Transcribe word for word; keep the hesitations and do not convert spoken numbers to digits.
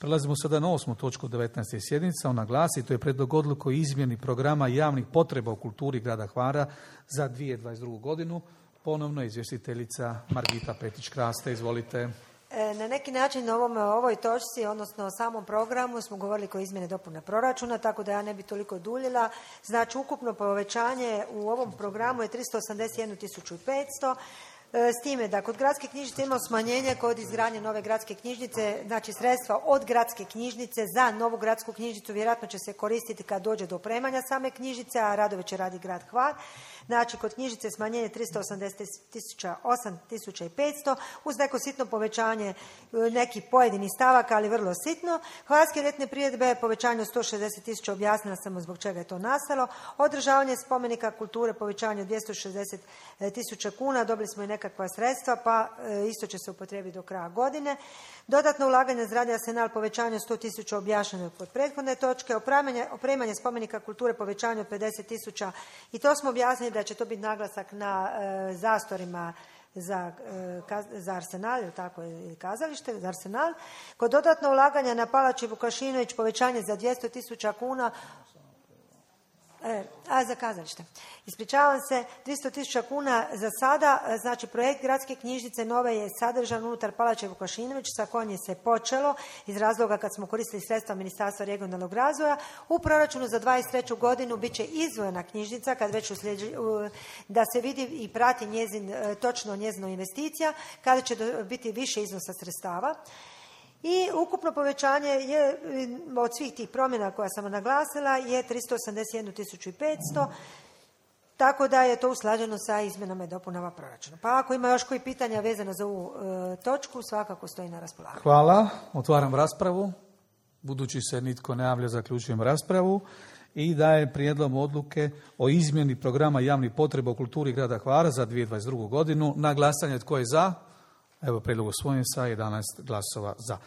Prelazimo sada na osmu točku devetnaeste sjednice. Ona glasi, to je prijedlog odluke o izmjeni programa javnih potreba u kulturi grada Hvara za dvije tisuće dvadeset drugu godinu. Ponovno izvjestiteljica Margita Petić-Kraste. Izvolite. Na neki način na ovom, ovoj točci, odnosno o samom programu, smo govorili o izmjene dopune proračuna, tako da ja ne bi toliko duljila. Znači, ukupno povećanje u ovom programu je tristo osamdeset jednu tisuću petsto. S time da kod gradske knjižnice imamo smanjenje kod izgradnje nove gradske knjižnice, znači sredstva od gradske knjižnice za novu gradsku knjižnicu vjerojatno će se koristiti kad dođe do opremanja same knjižnice, a radove će radi grad Hvar. Znači, kod knjižnice smanjenje tristo osamdeset osam tisuća petsto uz neko sitno povećanje nekih pojedinih stavaka, ali vrlo sitno. Hvarske ljetne priredbe povećanje od sto šezdeset tisuća, objasnila sam zbog čega je to nastalo. Održavanje spomenika kulture povećanje od dvjesto šezdeset tisuća kuna, dobili smo i nekakva sredstva, pa isto će se upotrijebiti do kraja godine. Dodatno ulaganje zgrade Arsenal povećanje od sto tisuća, objašnjeno kod prethodne točke. Opremanje, opremanje spomenika kulture povećanje od pedeset tisuća i to smo objasnili da će to biti naglasak na e, zastorima za, e, kaz, za Arsenal, ili tako je kazalište, za Arsenal. Kod dodatno ulaganja na Palači Vukašinović povećanje za dvjesto tisuća kuna, E, a za kazalište. Ispričavam se, tristo tisuća kuna za sada, znači projekt gradske knjižnice nove je sadržan unutar Palače Vukašinović, sa kojim je se počelo iz razloga kad smo koristili sredstva Ministarstva regionalnog razvoja. U proračunu za dvadeset treću godinu bit će izdvojena knjižnica, kad već uslijedi, da se vidi i prati njezin, točno njezina investicija, kada će biti više iznosa sredstava. I ukupno povećanje je od svih tih promjena koja sam naglasila je tristo osamdeset jednu tisuću petsto, tako da je to usklađeno sa izmjenama i dopunama proračuna. Pa ako ima još koji pitanja vezano za ovu e, točku, svakako stoji na raspolaganju. Hvala. Otvaram raspravu. Budući se nitko ne javlja, zaključujem raspravu i daje prijedlog odluke o izmjeni programa javnih potreba u kulturi grada Hvara za dvije tisuće dvadeset drugu godinu. Na glasanje tko je za? Evo, prijedlog usvojen sa jedanaest glasova za.